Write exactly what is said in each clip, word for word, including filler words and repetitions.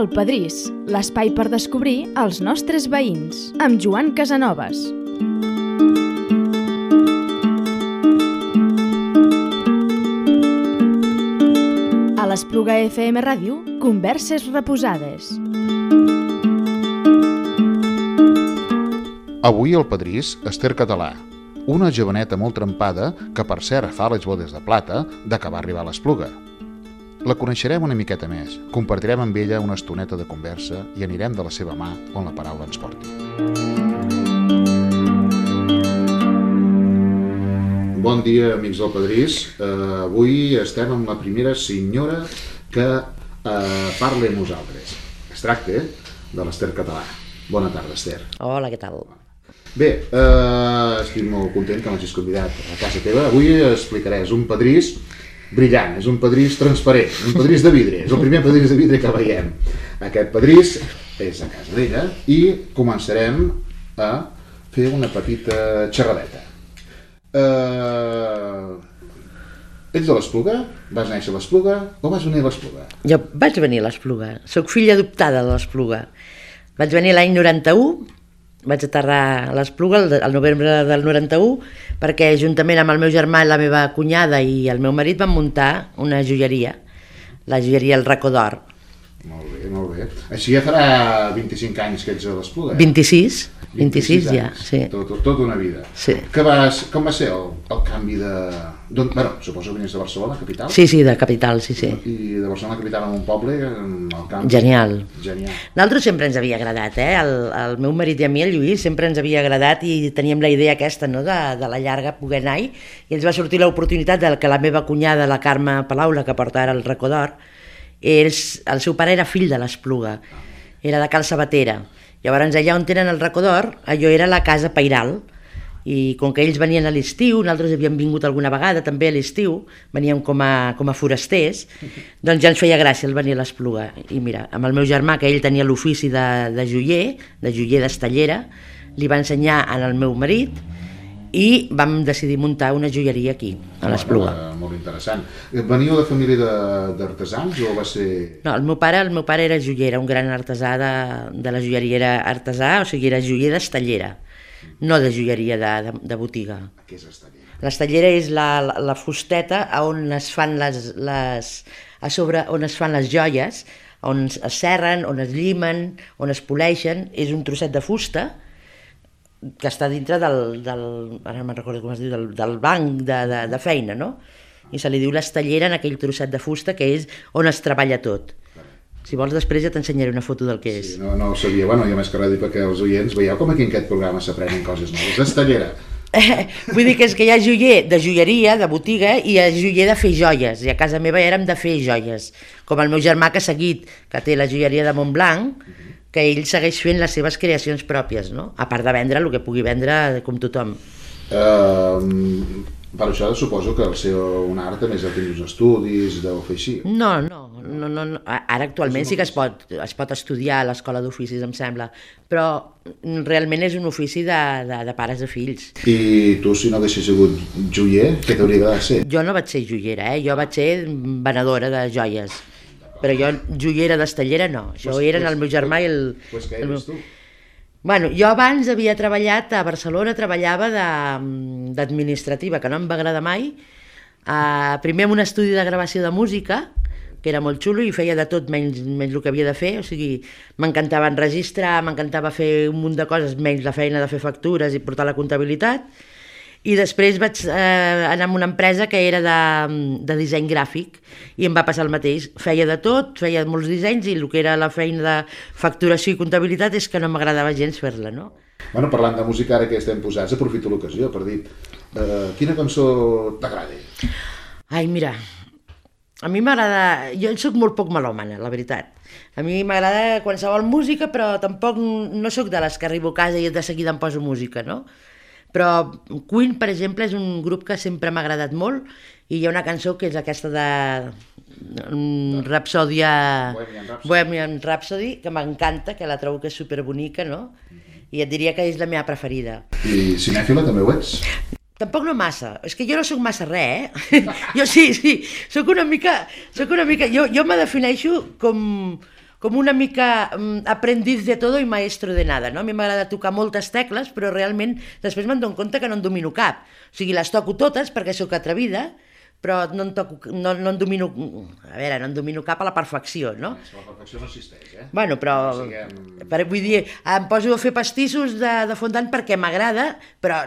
El Pedrís, l'espai per descobrir els nostres veïns, amb Joan Casanovas. A l'Espluga F M Ràdio, converses reposades. Avui al Pedrís, Esther Català, una joveneta molt trempada que per cert fa les bodes de plata d'acabar arribar a l'Espluga. La coneixerem una miqueta més, compartirem amb ella una estoneta de conversa i anirem de la seva mà on la paraula ens porti. Bon dia, amics del Pedrís. Uh, avui estem amb la primera senyora que uh, parla amb nosaltres. Es tracta de l'Esther Català. Bona tarda, Esther. Hola, què tal? Bé, uh, estic molt content que m'hagis convidat a casa teva. Avui explicaràs un pedrís brillant, és un pedrís transparent, un pedrís de vidre, és el primer pedrís de vidre que veiem. Aquest pedrís és a casa d'ella i començarem a fer una petita xerradeta. Uh, ets de l'Espluga? Vas néixer a l'Espluga o vas venir a l'Espluga? Jo vaig venir a l'Espluga, soc filla adoptada de l'Espluga. Vaig venir l'any noranta-u, vaig aterrar a l'Espluga el novembre del noranta-u perquè juntament amb el meu germà, la meva cunyada i el meu marit van muntar una joieria, la joieria El Racó d'Or. Molt bé, molt bé. Així ja farà vint-i-cinc anys que ets a l'Espluga, eh? vint-i-sis, vint-i-sis ja, sí. Tot, tot, tot una vida. Sí. Que vas, com va ser el, el canvi de... Bueno, suposo que venies de Barcelona, capital? Sí, sí, de capital, sí, sí. I de Barcelona capital a un poble, el canvi... Genial. Genial. Nosaltres sempre ens havia agradat, eh? El, el meu marit i a mi, el Lluís, sempre ens havia agradat i teníem la idea aquesta, no?, de, de la llarga poder anar-hi, i ens va sortir l'oportunitat de que la meva cunyada, la Carme Palau, la que porta ara el Racó d'Or, ells, el seu pare era fill de l'Espluga, era de Cal Sabatera. Llavors allà on tenen el Racó d'Or, allò era la casa pairal, i com que ells venien a l'estiu, nosaltres havíem vingut alguna vegada també a l'estiu, veníem com a, com a forasters, doncs ja ens feia gràcia el venir a l'Espluga. I mira, amb el meu germà, que ell tenia l'ofici de, de joier, de joier d'estellera, li va ensenyar al meu marit i vam decidir muntar una joieria aquí, a l'Espluga. Oh, molt interessant. Veníeu de família d'artesans o va ser...? No, el meu pare, el meu pare era joier, era un gran artesà de, de la joieria, era artesà, o sigui, era joier d'estellera, no de joieria de, de, de botiga. Què és estellera? L'estelera és la, la, la fusteta on es fan les, les, a sobre on es fan les joies, on es serren, on es llimen, on es poleixen, és un trosset de fusta que està dintre del, del ara me'n recordo com es diu, del, del banc de, de, de feina, no? I se li diu l'estelera en aquell trosset de fusta que és on es treballa tot. Si vols després ja t'ensenyaré una foto del que és. Sí, no, no ho sabia, bueno, i a més que res dir perquè els oients veieu com aquí en aquest programa s'aprenen coses noves. Estellera. Eh, vull dir que és que hi ha joier de joieria, de botiga, i hi ha joier de fer joies, i a casa meva érem de fer joies, com el meu germà que ha seguit, que té la joieria de Montblanc, que ell segueix fent les seves creacions pròpies, no? A part de vendre el que pugui vendre com tothom. Uh, per això suposo que el seu un art també és de tenir uns estudis, deu fer així. No, no, no, no, no. Ara actualment sí que es pot, es pot estudiar a l'escola d'oficis, em sembla, però realment és un ofici de, de, de pares a fills. I tu, si no haguessis sigut joier, què t'hauria agradat ser? Jo no vaig ser joiera, eh? Jo vaig ser venedora de joies. Però jo, joiera d'estellera, no. Això pues, eren pues, el meu germà i el... Pues què eres tu? Bueno, jo abans havia treballat a Barcelona, treballava d'administrativa, que no em va agradar mai. Uh, primer en un estudi de gravació de música, que era molt xulo i feia de tot menys, menys el que havia de fer. O sigui, m'encantava enregistrar, m'encantava fer un munt de coses, menys la feina de fer factures i portar la comptabilitat. I després vaig eh, anar a una empresa que era de, de disseny gràfic i em va passar el mateix. Feia de tot, feia molts dissenys i el que era la feina de facturació i comptabilitat és que no m'agradava gens fer-la, no? Bueno, parlant de música, ara que estem posats, aprofito l'ocasió per dir eh, quina cançó t'agrada? Ai, mira, a mi m'agrada... Jo soc molt poc melòmana, la veritat. A mi m'agrada qualsevol música, però tampoc no soc de les que arribo a casa i de seguida em poso música, no? Però Queen, per exemple, és un grup que sempre m'ha agradat molt i hi ha una cançó que és aquesta de um, Rhapsodia... Bohemian Rhapsody. Bohemian Rhapsody, que m'encanta, que la trobo que és superbonica, no? I et diria que és la meva preferida. I cinèfila també ho ets? Tampoc no massa, és que jo no sóc massa res, eh? Jo sí, sí, sóc una mica... Sóc una mica jo, jo me defineixo com com una mica um, aprendiz de todo i maestro de nada, no? A mi m'agrada tocar moltes tecles, però realment després me'n dono compte que no en domino cap. O sigui, les toco totes perquè sóc atrevida, però no en, toco, no, no en domino, a veure, no en domino cap a la perfecció, no? La perfecció no existeix, eh? Bueno, però, no siguem... per, vull dir, em poso a fer pastissos de, de fondant perquè m'agrada, però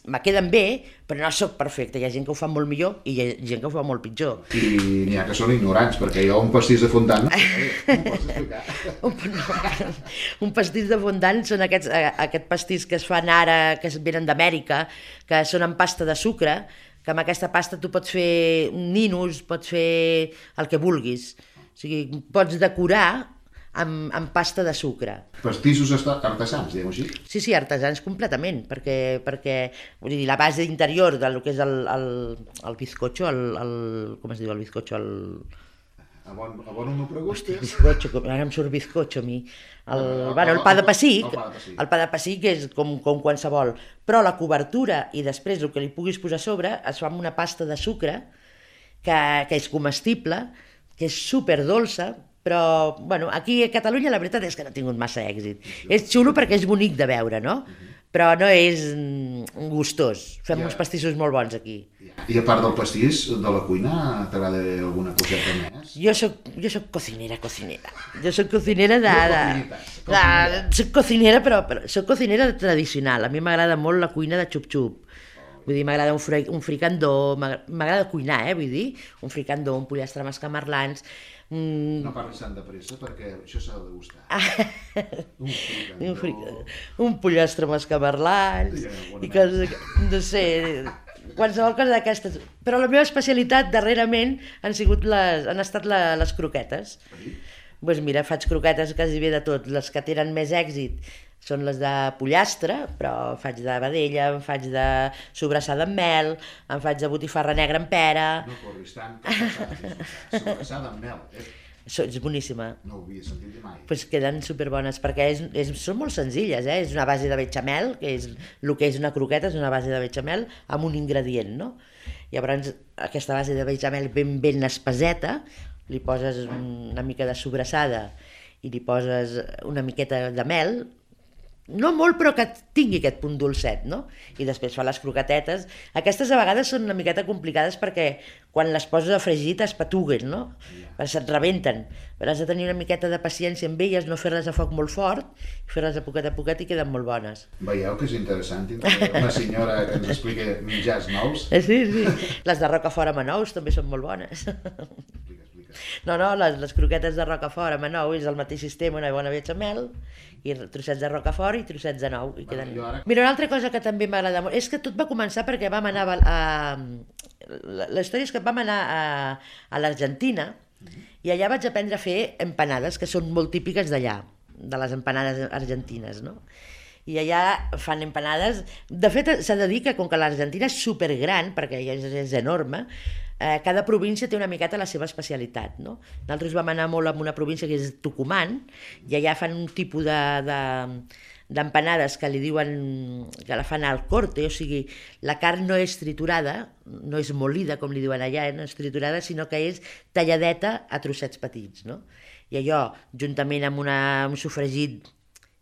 me queden bé, però no sóc perfecte. Hi ha gent que ho fa molt millor i hi ha gent que ho fa molt pitjor. I n'hi ha que són ignorants, perquè jo un pastís de fondant no em pots explicar. un, no, un pastís de fondant són aquests, aquest pastís que es fan ara, que es venen d'Amèrica, que són amb pasta de sucre, que amb aquesta pasta tu pots fer ninos, pots fer el que vulguis. O sigui, pots decorar amb, amb pasta de sucre. Pastissos artesans, diguem-ho així? Sí, sí, artesans completament, perquè, perquè vull dir, la base interior del que és el, el, el bizcocho, el, el, com es diu el bizcocho? El... A bon, a bon no preguntes? Bizcocho, ara em surt bizcocho a mi. El, el, bueno, el pa de pessic, el pa de pessic, el pa de pessic és com, com qualsevol, però la cobertura i després el que li puguis posar a sobre es fa amb una pasta de sucre que, que és comestible, que és superdolça, però bueno, aquí a Catalunya la veritat és que no ha tingut massa èxit. És xulo perquè és bonic de veure, no? Però no és gustós. Fem ja. uns pastissos molt bons aquí. I a part del pastís, de la cuina, t'agrada alguna coseta més? Jo soc, jo soc cocinera, cocinera. Jo soc cocinera de... de, de soc cocinera, però, però soc cocinera tradicional. A mi m'agrada molt la cuina de xup-xup. Vull dir, m'agrada un, fri, un fricandó, m'agrada cuinar, eh, vull dir, un fricandó, un pollastre amb escamarlans. Mm. No parlis tant de pressa perquè això s'ha de degustar. un fricandó. Un, fricandó, un pollastre amb escamarlans, i coses, no sé, qualsevol cosa d'aquestes. Però la meva especialitat darrerament han, sigut les, han estat la, les croquetes. Doncs pues mira, faig croquetes quasi bé de tot. Les que tenen més èxit són les de pollastre, però faig de vedella, em faig de sobrassada amb mel, em faig de botifarra negra amb pera... No corris tant, sobrassada amb mel, eh? És boníssima. No ho havia sentit mai. Doncs pues queden superbones, perquè és, és, són molt senzilles, eh? És una base de bechamel, que és el que és una croqueta, és una base de bechamel amb un ingredient, no? Llavors, aquesta base de bechamel ben ben espeseta, li poses una mica de sobrassada i li poses una miqueta de mel, no molt, però que tingui aquest punt dolcet, no? I després fa les croquetetes. Aquestes a vegades són una miqueta complicades perquè quan les poses a fregir es patuguen, no? Yeah. Se't rebenten. Però has de tenir una miqueta de paciència amb elles, no fer-les a foc molt fort, fer-les a poquet a poquet i queden molt bones. Veieu que és interessant, una senyora que ens explica menjars nous. Sí, sí. Les de Rocafort amb anous també són molt bones. Explica, explica. No, no, les, les croquetes de Rocafort amb anous és el mateix sistema, una bona bechamel, i trossets de Rocafort i trossets de nou. I queden... Ara... Mira, una altra cosa que també m'agrada molt, és que tot va començar perquè vam anar a... La història és que vam anar a, a l'Argentina i allà vaig aprendre a fer empanades, que són molt típiques d'allà, de les empanades argentines, no? I allà fan empanades... De fet, s'ha de dir que com que l'Argentina és supergran, perquè és, és enorme, eh, cada província té una miqueta la seva especialitat, no? Nosaltres vam anar molt a una província que és Tucumán, i allà fan un tipus de... de d'empanades que li diuen que la fan al corte, o sigui, la carn no és triturada, no és molida, com li diuen allà, eh? No és triturada, sinó que és talladeta a trossets petits, no? I allò, juntament amb una, un sofregit,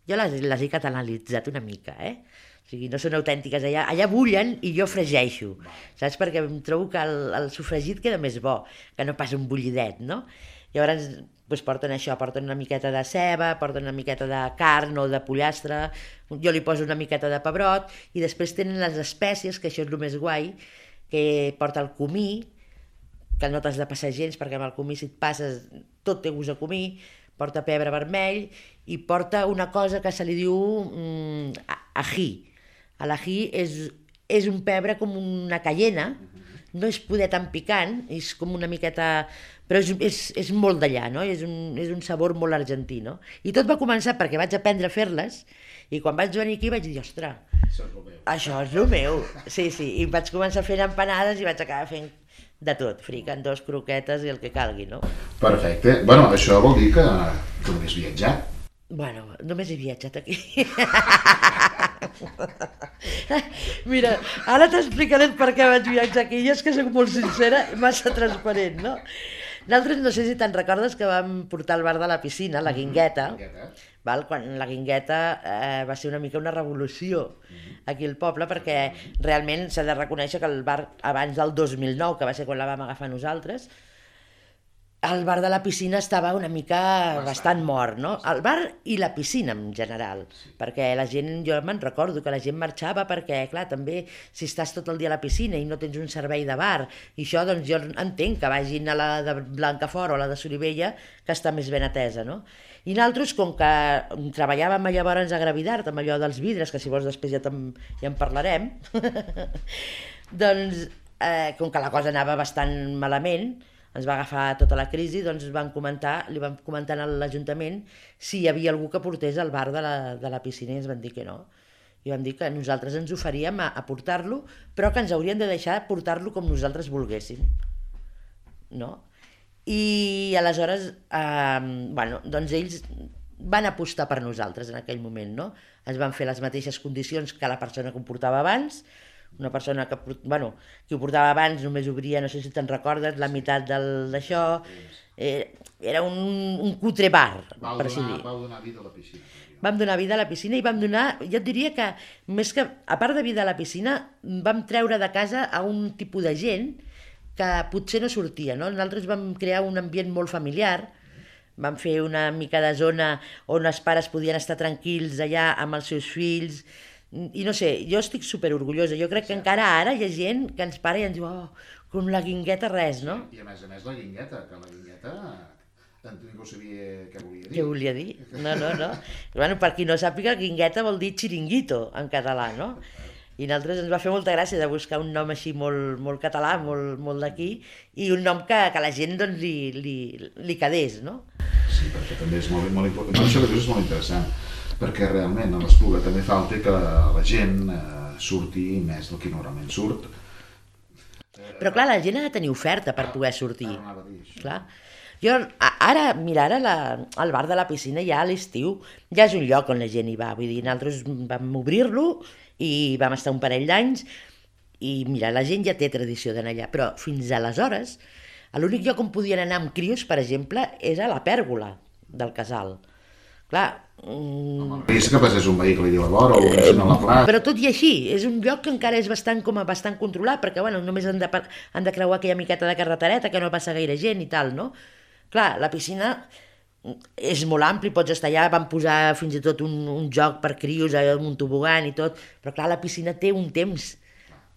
jo les, les he catalanitzat una mica, eh? O sigui, no són autèntiques, allà, allà bullen i jo fregeixo, saps? Perquè em trobo que el, el sofregit queda més bo, que no pas un bullidet, no? Llavors, doncs porten això, porten una miqueta de ceba, porten una miqueta de carn o de pollastre, jo li poso una miqueta de pebrot, i després tenen les espècies, que això és el més guai, que porta el comí, que no t'has de passar gens, perquè amb el comí si et passes tot té gust a comí, porta pebre vermell, i porta una cosa que se li diu mm, ají. L'ají és, és un pebre com una cayena, no és poder tan picant, és com una miqueta... però és, és, és molt d'allà, no? És un, és un sabor molt argentí, no? I tot va començar perquè vaig aprendre a fer-les, i quan vaig venir aquí vaig dir, ostres, això és el meu. Sí, sí, i vaig començar fent empanades i vaig acabar fent de tot, fricandós, croquetes i el que calgui, no? Perfecte. Bueno, això vol dir que, que només viatjat. Bueno, només he viatjat aquí. Mira, ara t'explicaré per què vaig viatjar aquí, i és que soc molt sincera i massa transparent, no? Nosaltres no sé si te'n recordes que vam portar al bar de la piscina, la Guingueta, Guingueta. val? Quan la Guingueta eh, va ser una mica una revolució aquí al poble, perquè realment s'ha de reconèixer que el bar abans del dos mil nou, que va ser quan la vam agafar nosaltres, el bar de la piscina estava una mica bastant, bastant mort, no? El bar i la piscina en general, perquè la gent, jo me'n recordo que la gent marxava perquè, clar, també si estàs tot el dia a la piscina i no tens un servei de bar, i això doncs jo entenc que vagin a la de Blancafort o a la de Solivella, que està més ben atesa, no? I nosaltres, com que treballàvem llavors a Gravidart, amb allò dels vidres, que si vols després ja, ja en parlarem, doncs eh, com que la cosa anava bastant malament, ens va agafar tota la crisi, doncs van comentar, li vam comentar a l'Ajuntament si hi havia algú que portés al bar de la, de la piscina i ens van dir que no. I vam dir que nosaltres ens oferíem a, a portar-lo, però que ens haurien de deixar portar-lo com nosaltres volguéssim. No? I aleshores, eh, bueno, doncs ells van apostar per nosaltres en aquell moment, no? Ens van fer les mateixes condicions que la persona que ho portava abans, una persona que, bueno, que ho portava abans només obria, no sé si te'n recordes, la meitat d'això, eh, era un, un cutre bar, Vau per així donar, dir. vau donar vida a la piscina. Vam donar vida a la piscina i vam donar, jo et diria que, més que, a part de vida a la piscina, vam treure de casa a un tipus de gent que potser no sortia, no? Nosaltres vam crear un ambient molt familiar, vam fer una mica de zona on els pares podien estar tranquils allà amb els seus fills, i no sé, jo estic superorgullosa, jo crec que encara ara hi ha gent que ens para i ens diu, oh, com la Guingueta res, no? I a més a més la Guingueta, que la Guingueta ningú sabia què volia dir. Què volia dir? No, no, no. Bueno, per qui no sàpiga, Guingueta vol dir xiringuito en català, no? I a nosaltres ens va fer molta gràcia de buscar un nom així molt, molt català, molt, molt d'aquí, i un nom que, que la gent doncs, li, li, li quedés, no? Sí, perquè també és molt, molt important. Això que dius és molt interessant, perquè realment a l'Espluga també falta que la gent eh, surti més del que normalment surt. Però clar, la gent ha de tenir oferta per poder sortir. Clar. Jo, ara, mira, ara la, el bar de la piscina ja a l'estiu ja és un lloc on la gent hi va, vull dir, nosaltres vam obrir-lo i vam estar un parell d'anys i mira, la gent ja té tradició d'anar allà, però fins aleshores l'únic lloc on podien anar amb crios, per exemple, és a la pèrgola del casal. Clar, el risc que passés un vehicle i diu a vora o un a la plaça. Però tot i així, és un lloc que encara és bastant, com a bastant controlat, perquè bueno, només han de, han de creuar aquella miqueta de carretereta que no passa gaire gent i tal, no? Clar, la piscina és molt ampli, pots estar allà, van posar fins i tot un, un joc per crios, un tobogan i tot, però clar, la piscina té un temps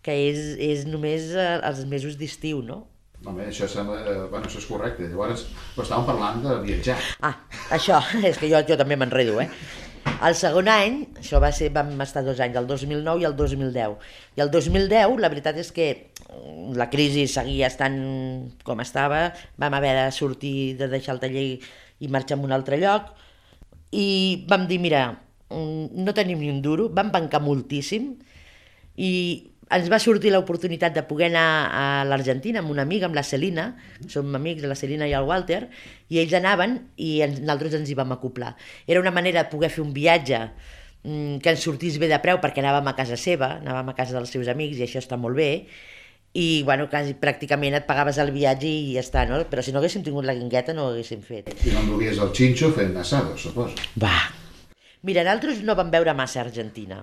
que és, és només els mesos d'estiu, no? Home, això, sembla, eh, bueno, això és correcte. Llavors, estàvem parlant de viatjar. Ah, això, és que jo, jo també m'enredo, eh? El segon any, això va ser, vam estar dos anys, el dos mil nou i el dos mil deu. I el dos mil deu, la veritat és que la crisi seguia estant com estava, vam haver de sortir, de deixar el taller i marxar a un altre lloc, i vam dir, mira, no tenim ni un duro, vam bancar moltíssim, i ens va sortir l'oportunitat de poder anar a l'Argentina amb una amiga, amb la Celina, som amics, la Celina i el Walter, i ells anaven i nosaltres ens hi vam acoplar. Era una manera de poder fer un viatge que ens sortís bé de preu perquè anàvem a casa seva, anàvem a casa dels seus amics i això està molt bé, i bueno, quasi, pràcticament et pagaves el viatge i ja està, no? Però si no haguéssim tingut la Guingueta no ho haguéssim fet. I no enduries el xinxo fent assado, suposo. Va! Mira, nosaltres no vam veure massa Argentina.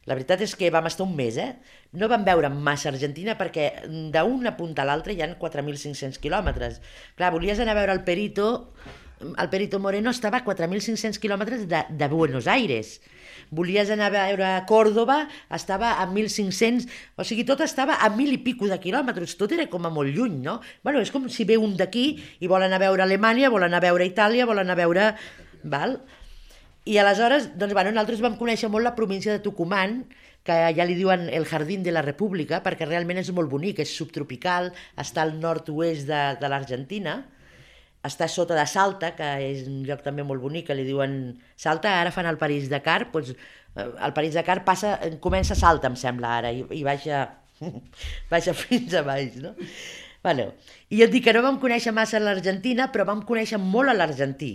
La veritat és que vam estar un mes, eh? No vam veure massa Argentina perquè d'una punta a l'altra hi ha quatre mil cinc-cents quilòmetres. Clar, volies anar a veure el Perito, el Perito Moreno estava a quatre mil cinc-cents quilòmetres de, de Buenos Aires. Volies anar a veure Córdoba, estava a mil cinc-cents, o sigui, tot estava a mil i pico de quilòmetres, tot era com a molt lluny, no? Bueno, és com si ve un d'aquí i vol anar a veure Alemanya, vol anar a veure Itàlia, vol anar a veure... Val? I aleshores, doncs, bueno, nosaltres vam conèixer molt la província de Tucumán, que ja li diuen el Jardín de la República, perquè realment és molt bonic, és subtropical, està al nord-oest de, de l'Argentina, està sota de Salta, que és un lloc també molt bonic, que li diuen Salta, ara fan el París-Dakar, doncs el París-Dakar passa, comença a Salta, em sembla, ara, i, i baixa, baixa fins a baix, no? Bueno, i jo et dic que no vam conèixer massa l'Argentina, però vam conèixer molt a l'argentí,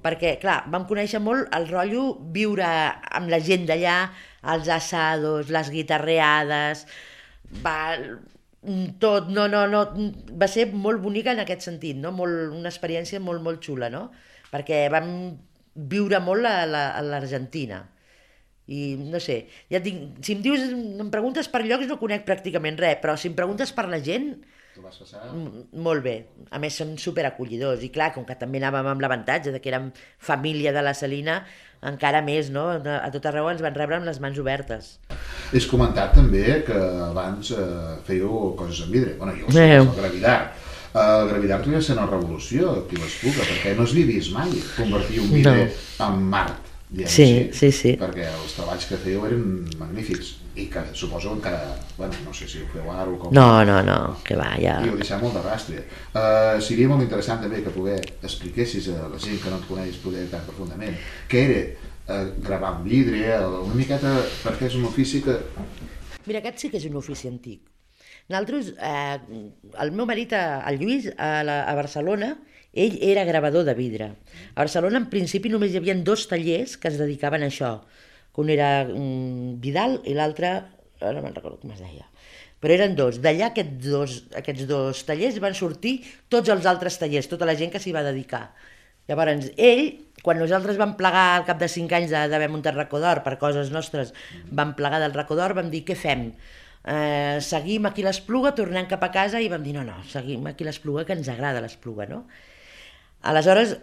perquè, clar, vam conèixer molt el rotllo viure amb la gent d'allà, els assados, les guitarreades, va, Tot, no, no, no, va ser molt bonica en aquest sentit, no? Molt, una experiència molt, molt xula, no? Perquè vam viure molt a la- a l'Argentina. I no sé, ja et dic, si em dius, em preguntes per llocs no conec pràcticament res, però si em preguntes per la gent, Tu vas passar... m- molt bé. A més són superacollidors i clar, com que també anàvem amb l'avantatge de que érem família de la Celina, encara més, no? A tot arreu ens van rebre amb les mans obertes. És comentat també que abans eh, fèieu coses en vidre. Bueno, jo ho sé, Veu. el Gravidar. El Gravidar tenia ser una revolució aquí a l'Espluga, perquè no s'havia vist mai convertir un vidre No. en Mart, diguem Sí, així. sí, sí. Perquè els treballs que fèieu eren magnífics i que suposo que encara, bueno, no sé si ho feu ara o com... No, no, no, que va, ja... I ho deixem molt de rastre. Uh, seria molt interessant també que poder expliquessis a la gent que no et coneix poder tan profundament què era uh, gravar en vidre, una miqueta, perquè és un ofici que... Mira, aquest sí que és un ofici antic. Nosaltres, eh, el meu marit, eh, el Lluís, a, la, a Barcelona, ell era gravador de vidre. A Barcelona, en principi, només hi havia dos tallers que es dedicaven a això. Que un era mm, Vidal i l'altre, ara no me'n recordo com es deia. Però eren dos. D'allà aquests dos, aquests dos tallers van sortir tots els altres tallers, tota la gent que s'hi va dedicar. Llavors, ell, quan nosaltres vam plegar al cap de cinc anys d'haver muntat Racó d'Or per coses nostres, vam plegar del Racó d'Or, vam dir, què fem? Eh, seguim aquí l'Espluga, tornem cap a casa i vam dir, no, no, seguim aquí l'Espluga, que ens agrada l'Espluga, no? Aleshores,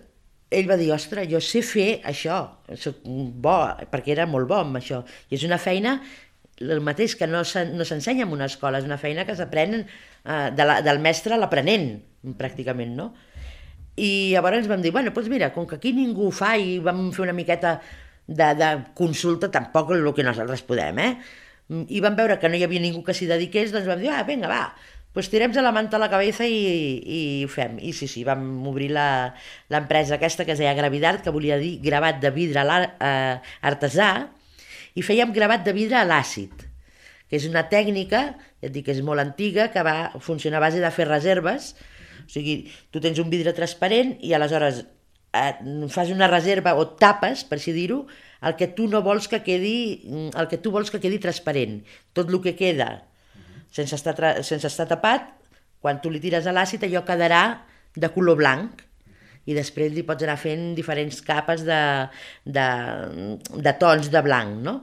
ell va dir, ostres, jo sé fer això, soc bo, perquè era molt bo amb això, i és una feina el mateix que no s'en- no s'ensenya en una escola, és una feina que s'aprèn eh, de la, del mestre a l'aprenent, pràcticament, no? I llavors vam dir, bueno, doncs mira, com que aquí ningú ho fa i vam fer una miqueta de, de consulta, tampoc el que nosaltres podem, eh? I vam veure que no hi havia ningú que s'hi dediqués, doncs vam dir, ah, vinga, va, pues tirem la manta a la cabeza i, i ho fem. I sí, sí, vam obrir la- l'empresa aquesta que es deia Gravidart, que volia dir gravat de vidre a l'ar- eh, artesà, i fèiem gravat de vidre a l'àcid, que és una tècnica, ja et dic que és molt antiga, que va funcionar a base de fer reserves. O sigui, tu tens un vidre transparent i aleshores eh, fas una reserva o tapes, per així dir-ho, el que tu no vols que quedi, el que tu vols que quedi transparent. Tot el que queda sense estar, tra- sense estar tapat, quan tu li tires a l'àcid allò quedarà de color blanc i després li pots anar fent diferents capes de, de, de tons de blanc, no?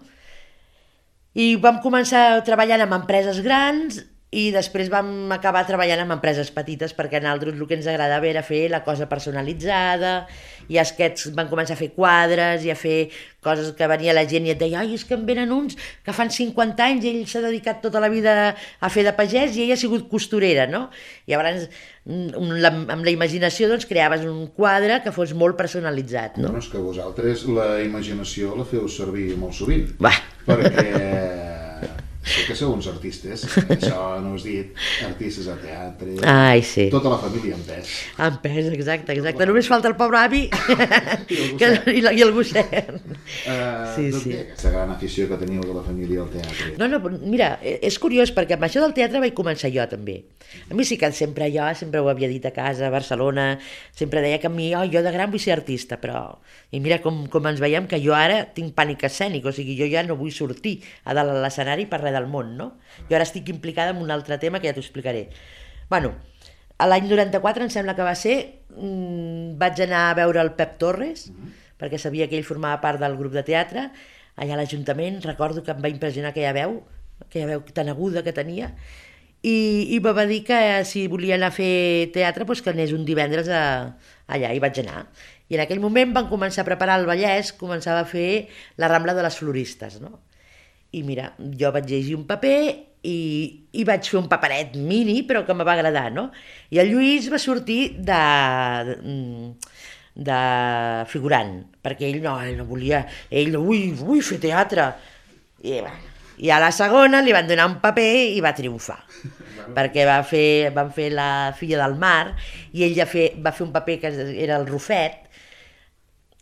I vam començar treballant amb empreses grans i després vam acabar treballant amb empreses petites perquè a nosaltres el que ens agradava era fer la cosa personalitzada i aquests van començar a fer quadres i a fer coses que venia la gent i et deia, ai, és que en venen uns que fan cinquanta anys i ell s'ha dedicat tota la vida a fer de pagès i ella ha sigut costurera, no? I llavors mm, la, amb la imaginació doncs creaves un quadre que fos molt personalitzat, no? No, és que vosaltres la imaginació la feu servir molt sovint. Va. Perquè sé que sou uns artistes, això no us dit, artistes de teatre, Ai, sí. tota la família en pes. En pes, exacte, exacte. Només falta el pobre avi que, i, la, i el gosset. Uh, Sí, D'on sí. ve aquesta gran afició que teniu de la família al teatre? No, no, mira, és curiós perquè amb això del teatre vaig començar jo també. A mi sí que sempre jo, sempre ho havia dit a casa, a Barcelona, sempre deia que a mi, oh, jo de gran vull ser artista, però... I mira com, com ens veiem que jo ara tinc pànic escènic, o sigui, jo ja no vull sortir a dalt a l'escenari per res del món, no? Jo ara estic implicada en un altre tema que ja t'ho explicaré. Bueno, a l'any noranta-quatre, em sembla que va ser, mmm, vaig anar a veure el Pep Torres, perquè sabia que ell formava part del grup de teatre, allà a l'Ajuntament, recordo que em va impressionar aquella veu, aquella veu tan aguda que tenia, i, i me va dir que si volia anar a fer teatre doncs que anés un divendres a, allà, i vaig anar. I en aquell moment van començar a preparar el Vallès, començava a fer la Rambla de les Floristes, no? I mira, jo vaig llegir un paper i, i vaig fer un paperet mini, però que me va agradar, no? I el Lluís va sortir de... de de figurant, perquè ell no, ell no volia, ell no, ui, vull fer teatre. I, bueno, i a la segona li van donar un paper i va triomfar, perquè va fer, van fer La filla del mar i ell ja fe, va fer un paper que era el Rufet,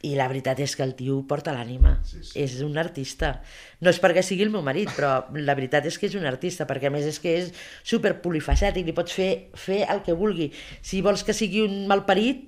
i la veritat és que el tio porta l'ànima, Sí, sí. és un artista. No és perquè sigui el meu marit, però la veritat és que és un artista, perquè a més és que és super polifacètic, li pots fer, fer el que vulgui. Si vols que sigui un malparit,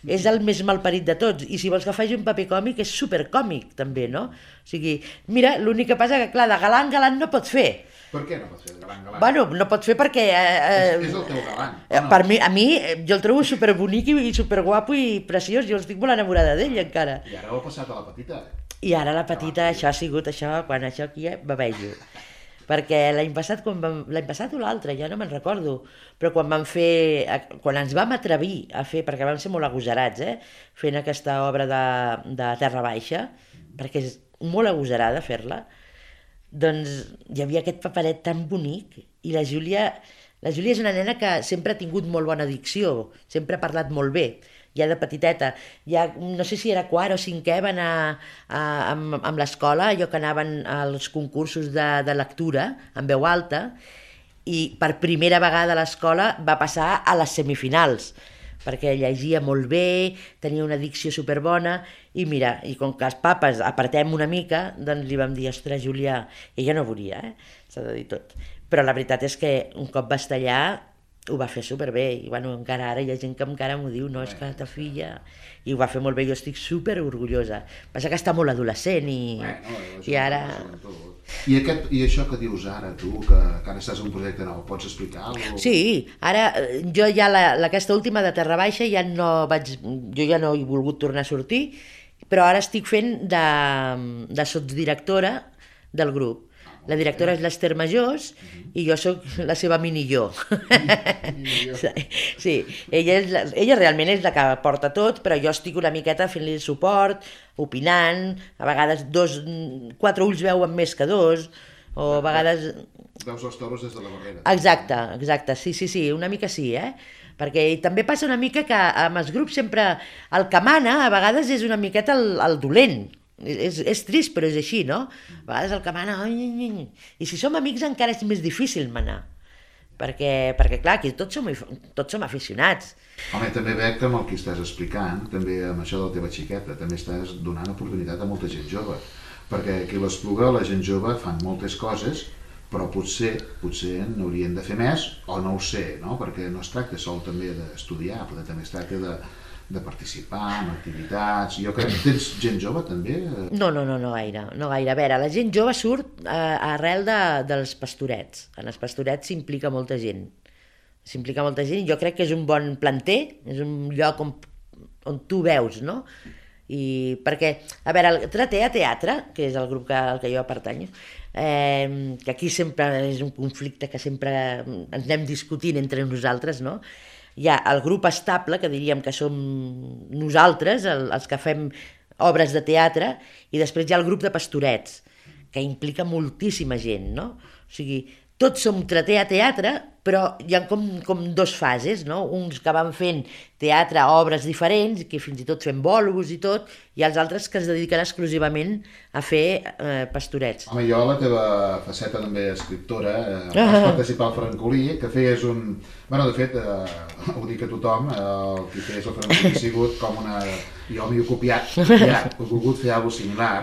és el més malparit de tots, i si vols que faci un paper còmic és supercòmic també, no? O sigui, mira, l'únic que passa que clar, de galant galant no pot fer, Per què no pot fer el galant galant? Bueno, no pot fer perquè... Eh, és, és el teu galant. Eh, No? per mi, a mi, jo el trobo superbonic i, i superguapo i preciós, jo estic molt enamorada d'ell encara. I ara ho ha passat a la petita. I ara la petita, això ha sigut això, quan això aquí eh, bavejo. Perquè l'any passat, quan vam, l'any passat o l'altre, ja no me'n recordo, però quan vam fer, quan ens vam atrevir a fer, perquè vam ser molt agosarats, eh, fent aquesta obra de, de Terra Baixa, perquè és molt agosarada fer-la, doncs hi havia aquest paperet tan bonic i la Júlia, la Júlia és una nena que sempre ha tingut molt bona dicció, sempre ha parlat molt bé, ja de petiteta, ja no sé si era quart o cinquè, va anar a, amb, amb l'escola, allò que anaven als concursos de, de lectura en veu alta, i per primera vegada a l'escola va passar a les semifinals, perquè llegia molt bé, tenia una dicció superbona, i mira, i com que els papes apretem una mica, doncs li vam dir, ostres, Júlia, ella no volia, eh? S'ha de dir tot. Però la veritat és que un cop va estar allà, ho va fer superbé, i bueno, encara ara hi ha gent que encara m'ho diu, no, és que ta filla... I ho va fer molt bé, jo estic super orgullosa. Passa que està molt adolescent i, bueno, i ara... I, aquest, I això que dius ara, tu, que, que ara estàs en un projecte nou, pots explicar alguna cosa? Sí, ara jo ja la, aquesta última de Terra Baixa ja no vaig... Jo ja no he volgut tornar a sortir, però ara estic fent de, de sotsdirectora del grup. La directora és l'Ester Majós i jo sóc la seva mini-jo. Sí, ella, és la, ella realment és la que porta tot, però jo estic una miqueta fent-li el suport, opinant, a vegades dos, quatre ulls veuen més que dos, o a vegades... Veus els toros des de la barrera. Exacte, exacte, sí, sí, sí, una mica sí, eh? Perquè també passa una mica que amb els grups sempre el que mana a vegades és una miqueta el, el dolent. És, és trist, però és així, no? A vegades el que mana... I si som amics encara és més difícil manar. Perquè, perquè clar, aquí tots som, tots som aficionats. Home, també veig que amb el que estàs explicant, també amb això de la teva xiqueta, també estàs donant oportunitat a molta gent jove. Perquè aquí a l'Espluga la gent jove fan moltes coses, però potser, potser n'haurien de fer més, o no ho sé, no? Perquè no es tracta sol també d'estudiar, però també es tracta de... de participar en activitats. Jo crec que tens gent jove també? No, no, no, no gaire, no gaire. A veure, la gent jove surt eh, arrel de, dels pastorets. En els pastorets s'implica molta gent. S'implica molta gent i jo crec que és un bon planter, és un lloc on, on tu veus, no? I perquè, a veure, el Tratea Teatre, que és el grup que, al que jo pertanyo, eh, que aquí sempre és un conflicte que sempre ens anem discutint entre nosaltres, no? Hi ha el grup estable, que diríem que som nosaltres, el, els que fem obres de teatre, i després hi ha el grup de pastorets, que implica moltíssima gent, no? O sigui, tots som Tratea Teatre, però hi ha com, com dos fases, no? Uns que van fent teatre, obres diferents, que fins i tot fem bolos i tot, i els altres que es dediquen exclusivament a fer eh, pastorets. Home, jo, la teva faceta també escriptora, eh, vas participar al Francolí, que feies un... Bueno, de fet, eh, ho dic a tothom, eh, el que feies al Francolí ha sigut com una... Jo m'hi he copiat, ja, he volgut fer alguna cosa similar,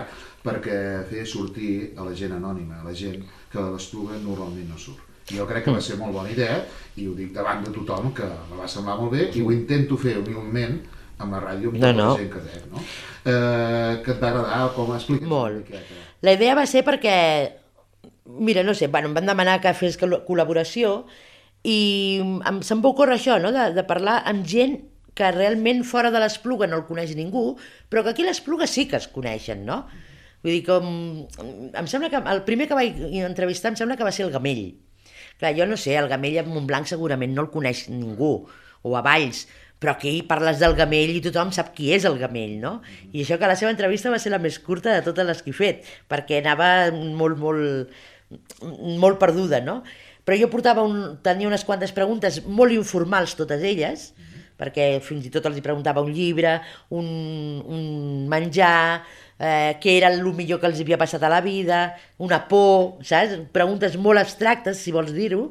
perquè feia sortir a la gent anònima, a la gent que a l'Espluga normalment no surt. Jo crec que va ser molt bona idea, i ho dic davant de tothom, que me va semblar molt bé, i ho intento fer humilment amb la ràdio, amb tota no, no. la gent que dec, no? Eh, que et va agradar, com expliques? Molt. La idea va ser perquè, mira, no sé, bueno, em van demanar que fes col·laboració, i em, se'm va ocórrer això, no?, de, de parlar amb gent que realment fora de l'Espluga no el coneix ningú, però que aquí a l'Espluga sí que es coneixen, no? Vull dir, com... Em sembla que el primer que vaig entrevistar em sembla que va ser el Gamell. Clar, jo no sé, el Gamell a Montblanc segurament no el coneix ningú, o a Valls, però aquí parles del Gamell i tothom sap qui és el Gamell, no? I això que la seva entrevista va ser la més curta de totes les que he fet, perquè anava molt, molt, molt perduda, no? Però jo portava un, tenia unes quantes preguntes molt informals, totes elles, perquè fins i tot els preguntava un llibre, un, un menjar, eh, què era el millor que els havia passat a la vida, una por, saps? Preguntes molt abstractes, si vols dir-ho,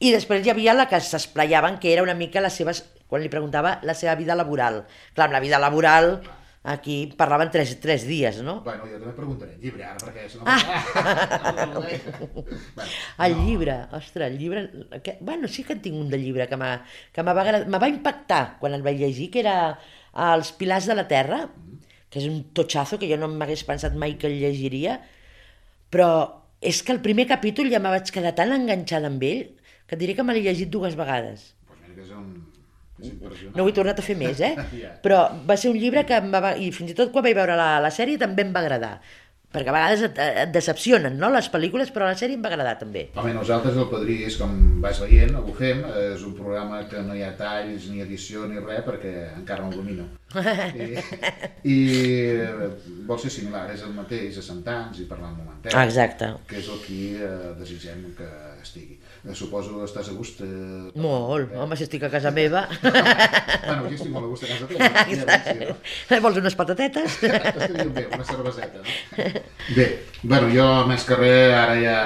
i després hi havia la que s'esplayaven, que era una mica les seves, quan li preguntava, la seva vida laboral. Clar, amb la vida laboral, aquí parlaven tres, tres dies, no? Bueno, jo també preguntaré el llibre ara, perquè si no... Ah. bueno, el no. llibre, ostres, el llibre... Que, bueno, sí que en tinc un de llibre que m'ha que m'ha va impactar quan el vaig llegir, que era Els pilars de la terra, que és un totxazo que jo no m'hagués pensat mai que el llegiria, però És que el primer capítol ja me vaig quedar tan enganxada amb ell que et diré que me l'he llegit dues vegades. Pues mira que és un... és impressionant. No ho he tornat a fer més, eh? Ja. Però va ser un llibre que em va... I fins i tot quan vaig veure la, la sèrie també em va agradar. Perquè a vegades et, et decepcionen, no?, les pel·lícules, però la sèrie em va agradar també. Home, nosaltres el Padrí és, com vas veient, ho fem, és un programa que no hi ha talls, ni edició, ni res, perquè encara no el domino. I, i vol ser similar, és el mateix a Santans i parlar un momentet. Ah, exacte. Que és el que eh, desitgem que estigui. Eh, suposo que estàs a gust... Eh, Molt, home, si estic a casa meva. Bueno, jo estic molt a gust a casa teva. Exacte. Sí, no? Vols unes patatetes? Estaria bé, una cerveseta, no? Bé, bueno, jo més que res ara ja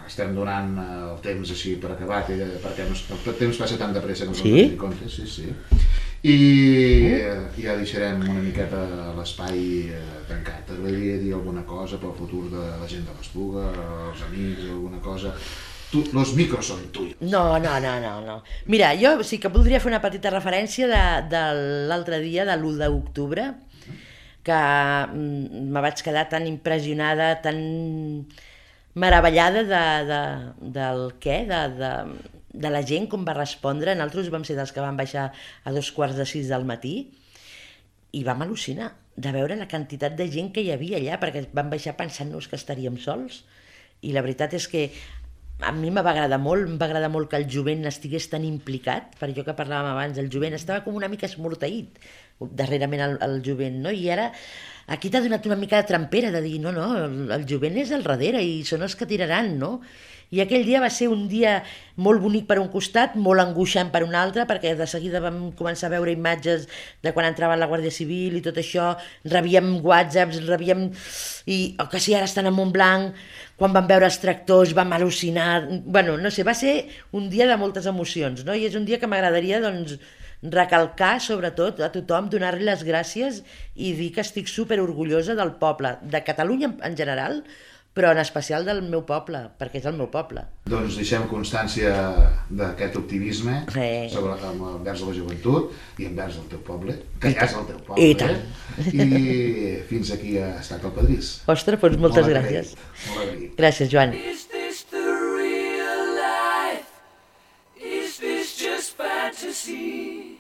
estem donant el temps així per acabat, eh, perquè no, el temps passa tan de pressa que no sí? ens compte, sí, sí. I eh, ja deixarem una miqueta l'espai eh, tancat. T'agradaria dir alguna cosa pel futur de la gent de l'Espluga, els amics, alguna cosa? Tu, los micros són tuyos. No, no, no, no, no. Mira, jo sí que voldria fer una petita referència de, de l'altre dia, de l'u d'octubre, que me vaig quedar tan impressionada, tan meravellada de, de, del què, de, de, de la gent com va respondre. Nosaltres vam ser dels que vam baixar a dos quarts de sis del matí i vam al·lucinar de veure la quantitat de gent que hi havia allà, perquè vam baixar pensant-nos que estaríem sols. I la veritat és que a mi me va agradar molt, em va agradar molt que el jovent estigués tan implicat, per allò que parlàvem abans, el jovent estava com una mica esmorteït darrerament el, el jovent, no? I ara aquí t'ha donat una mica de trampera de dir, no, no, el, el jovent és al darrere i són els que tiraran, no? I aquell dia va ser un dia molt bonic per un costat, molt angoixant per un altre, perquè de seguida vam començar a veure imatges de quan entrava la Guàrdia Civil i tot això, rebíem whatsapps, rebíem... i oh, que si ara estan a Montblanc, quan vam veure els tractors vam al·lucinar... Bueno, no sé, va ser un dia de moltes emocions, no? I és un dia que m'agradaria, doncs, recalcar, sobretot, a tothom, donar-li les gràcies i dir que estic super orgullosa del poble, de Catalunya en general, però en especial del meu poble, perquè és el meu poble. Doncs deixem constància d'aquest optimisme sí. sobre, envers la joventut i envers el teu poble, que ja és el teu poble. I tant. I fins aquí ha estat el Padrís. Ostres, doncs moltes Molt gràcies. Molt agraït. Gràcies, Joan. Is this the real life? Is this just fantasy?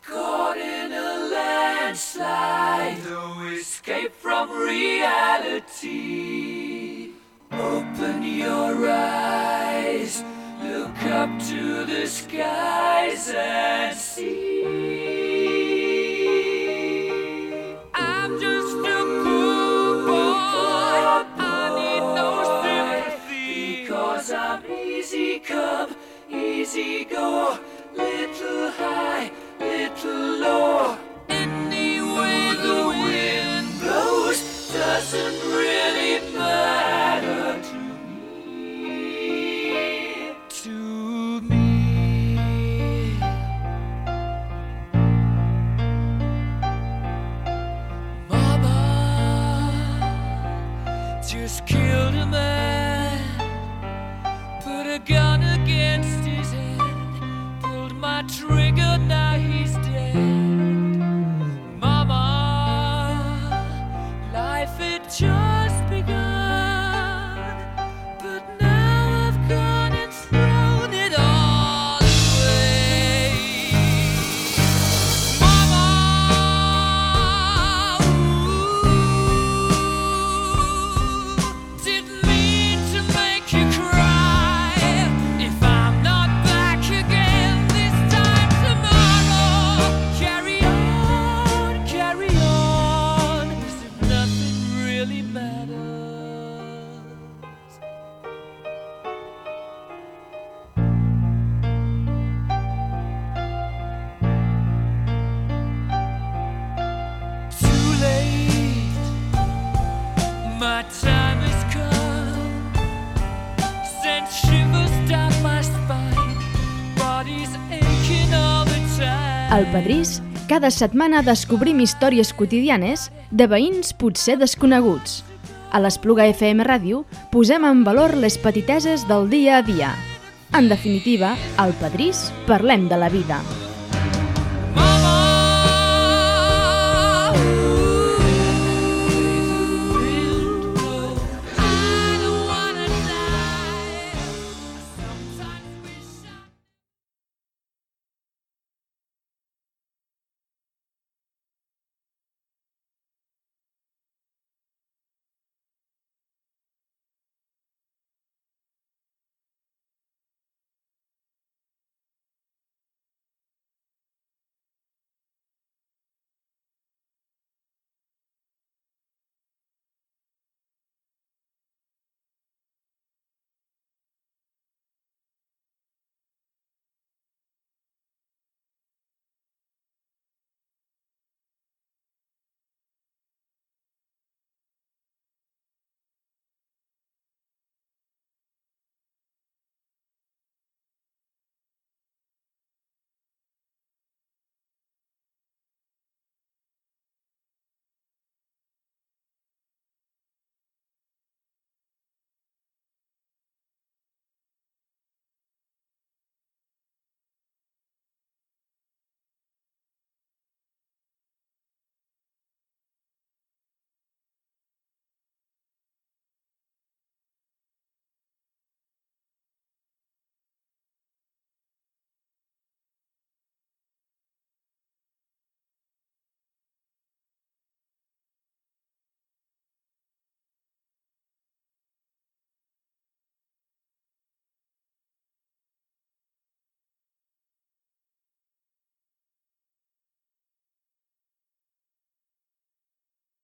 Caught in a landslide, no escape from reality. Open your eyes, look up to the skies and see. I'm just a poor boy, I need no sympathy, because I'm easy come, easy go, little high, little low. Any way the wind blows doesn't really matter to me, to me. Mama just killed a man, put a gun against his head, pulled my trigger, now he's dead. Mama, life had just begun, but now I've gone and thrown it all away. Mama, ooh, didn't mean to make you cry. If I'm not back again this time tomorrow, carry on, carry on, as if nothing really matters. Too late, my time has come, sent shivers down my spine, body's aching all the time. Al Padrís, cada setmana descobrim històries quotidianes de veïns potser desconeguts. A l'Espluga F M Ràdio posem en valor les petiteses del dia a dia. En definitiva, al Padrís parlem de la vida.